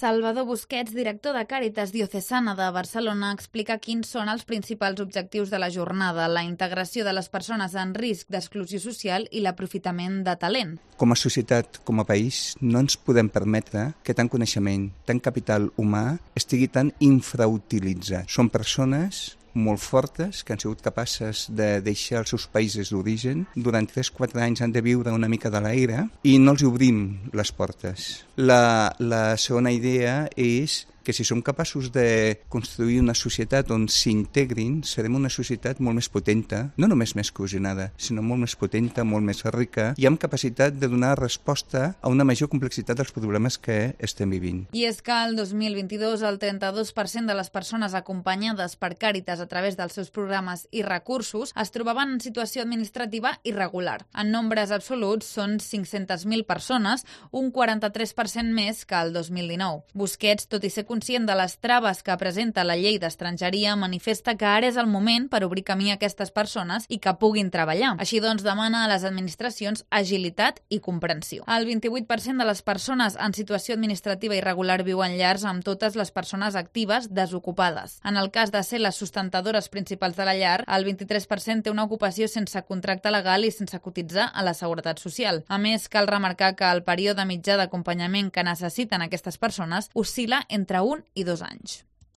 Salvador Busquets, director de Càritas Diocesana de Barcelona, explica quins són els principals objectius de la jornada, la integració de les persones en risc d'exclusió social i l'aprofitament de talent. Com a societat, com a país, no ens podem permetre que tant coneixement, tant capital humà estigui tan infrautilitzat. Són persones molt fortes, que han sigut capaces de deixar els seus països d'origen. Durant 3-4 anys han de viure una mica de l'aire i no els obrim les portes. La segona idea és que si som capaços de construir una societat on s'integrin, serem una societat molt més potenta, no només més cohesionada, sinó molt més potenta, molt més rica i amb capacitat de donar resposta a una major complexitat dels problemes que estem vivint. I és que el 2022 el 32% de les persones acompanyades per Càritas a través dels seus programes i recursos es trobaven en situació administrativa irregular. En nombres absoluts són 500.000 persones, un 43% més que el 2019. Busquets, tot i ser conscient de les traves que presenta la llei d'estrangeria, manifesta que ara és el moment per obrir camí a aquestes persones i que puguin treballar. Així doncs, demana a les administracions agilitat i comprensió. El 28% de les persones en situació administrativa irregular viuen llars amb totes les persones actives desocupades. En el cas de ser les sustentadores principals de la llar, el 23% té una ocupació sense contracte legal i sense cotitzar a la Seguretat Social. A més, cal remarcar que el període mitjà d'acompanyament que necessiten aquestes persones oscil·la entre 1 i 2 anys.